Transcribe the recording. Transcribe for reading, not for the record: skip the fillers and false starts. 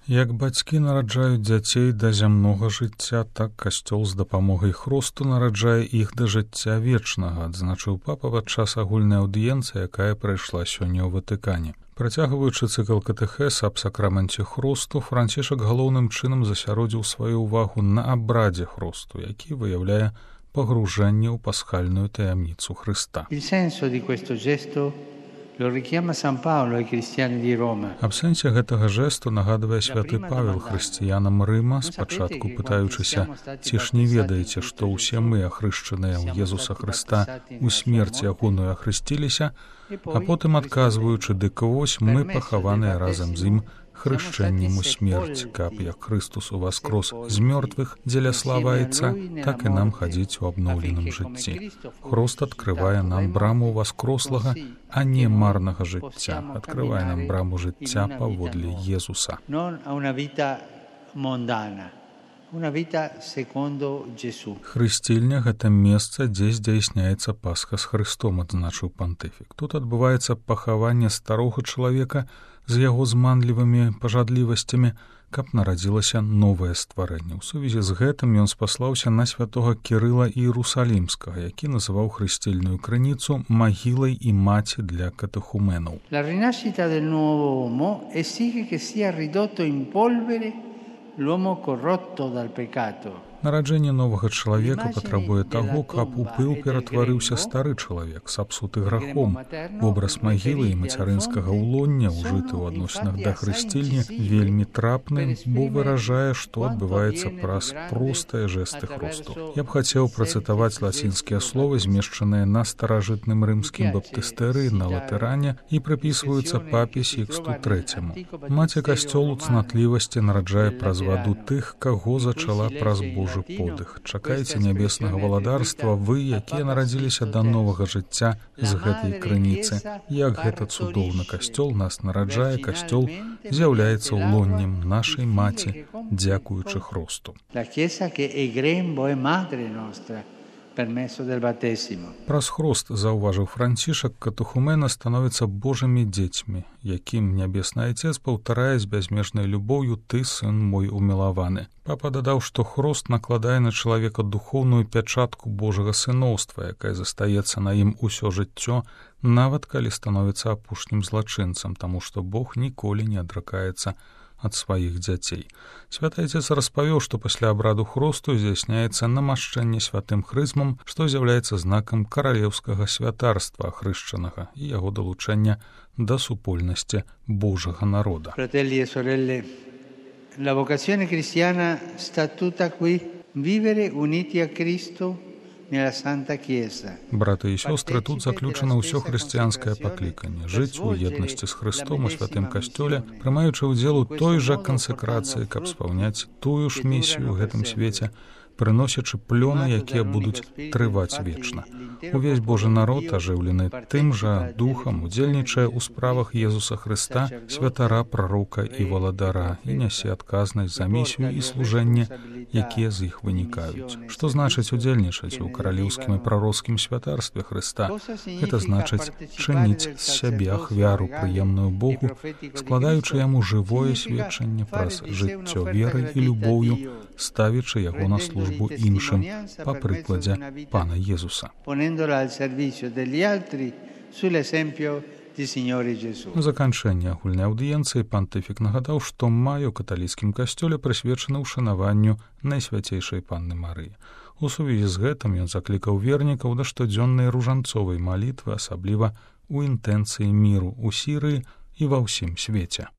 Як бацькі нараджаюць дзяцей да зямнога жыцця, так касцёл з дапамогай хросту нараджае іх да жыцця вечнага, адзначыў папа падчас агульнай аўдыенцыі, якая прайшла сёння ў Ватыкане. Працягваючы цыкл катэхеса аб сакраменце хросту, Францішак галоўным чынам засяродзіў сваю ўвагу на абрадзе хросту, які выяўляе пагружэнне ў пасхальную таямніцу Хрыста. Аб сэнсе гэтага жэсту нагадвае святы Павел хрысціянам Рыма, спачатку пытаючыся, ці ж не ведаеце, што ўсе мы, ахрышчаныя ў Езуса Хрыста, у смерці ягоную ахрысціліся, а потым адказваючы, дык вось мы пахаваныя разам з ім хрышчэннем у смерць, каб як Хрыстус уваскрос з мёртвых дзеля славы Айца, так і нам хадзіць у абноўленым жыцці. Хрост адкрывае нам браму ўваскрослага, а не марнага жыцця, адкрывае нам браму жыцця паводле Езуса. Хрысцільня — гэта месца, дзе здзяйсняецца Пасха з Хрыстом, адзначыў пантыфік. Тут адбываецца пахаванне старога чалавека з яго зманлівымі пажадлівасцямі, каб нарадзілася новае стварэнне. У сувязі з гэтым ён спаслаўся на святога Кірыла Іерусалімскага, які называў хрысцільную крыніцу магілай і маці для катэхуменаў. La rinascita del nuovo uomo esige che sia ridotto in polvere l'uomo corrotto dal peccato. Нараджэнне новага чалавека патрабуе таго, каб у пыл ператварыўся стары чалавек, сапсуты грахом. Вобраз магілы і мацярынскага ўлоння, ужыты ў адносінах да хрысцільні, вельмі трапны, бо выражае, што адбываецца праз простыя жэсты хросту. Я б хацеў працытаваць лацінскія словы, змешчаныя на старажытным рымскім баптыстэры на латэране і прыпісваюцца папе Сіксту III. Маці касцёлу цнатлівасці нараджае праз ваду тых, каго зачала праз Божы подых. Чакайце нябеснага валадарства вы, якія нарадзіліся да новага жыцця з гэтай крыніцы. Як гэта цудоўна, касцёл нас нараджае, касцёл з'яўляецца ўлоннем нашай маці, дзякуючы хросту. Праз хрост, заўважыў Францішак, катэхумена становяцца Божымі дзецьмі, якім нябесны Айцец паўтарае з бязмежнай любоўю «Ты, сын мой умілаваны». Папа дадаў, што хрост накладае на чалавека духоўную пячатку Божага сыноўства, якая застаецца на ім усё жыццё, нават калі становіцца апошнім злачынцам, таму што Бог ніколі не адракаецца ад сваіх дзяцей. Святы Айцец распавёў, што пасля абраду хросту здзяйсняецца намашчэнне святым хрызмам, што з'яўляецца знакам каралеўскага святарства ахрышчанага і яго далучэння да супольнасці Божага народа. Fratelli e sorelle, la vocazione cristiana sta tutta qui, vivere uniti a Cristo nella Santa Chiesa. Браты і сёстры, тут заключана ўсё хрысціянскае пакліканне. Жыць у еднасці з Хрыстом у святым касцёле, прымаючы ўдзел у той жа кансакрацыі, каб спаўняць тую ж місію ў гэтым свеце, прыносячы плёны, якія будуць трываць вечна. Увесь Божы народ, ажыўлены тым жа духам, удзельнічае ў справах Езуса Хрыста, святара, прарока і валадара, і нясе адказнасць за місію і служэнне, якія з іх вынікаюць. Што значыць удзельнічаць у каралеўскім і прароцкім святарстве Хрыста? Гэта значыць чыніць з сябе ахвяру, прыемную Богу, складаючы яму жывое сведчанне праз жыццё верай і любоўю, ставячы яго на службу іншым па прыкладзе Пана Езуса. У заканчэнні агульнай аўдыенцыі пантыфік нагадаў, што май у каталіцкім касцёле прысвечаны ўшанаванню Найсвяцейшай Панны Марыі. У сувязі з гэтым ён заклікаў вернікаў да штодзённай ружанцовай малітвы, асабліва ў інтэнцыі міру ў Сірыі і ва ўсім свеце.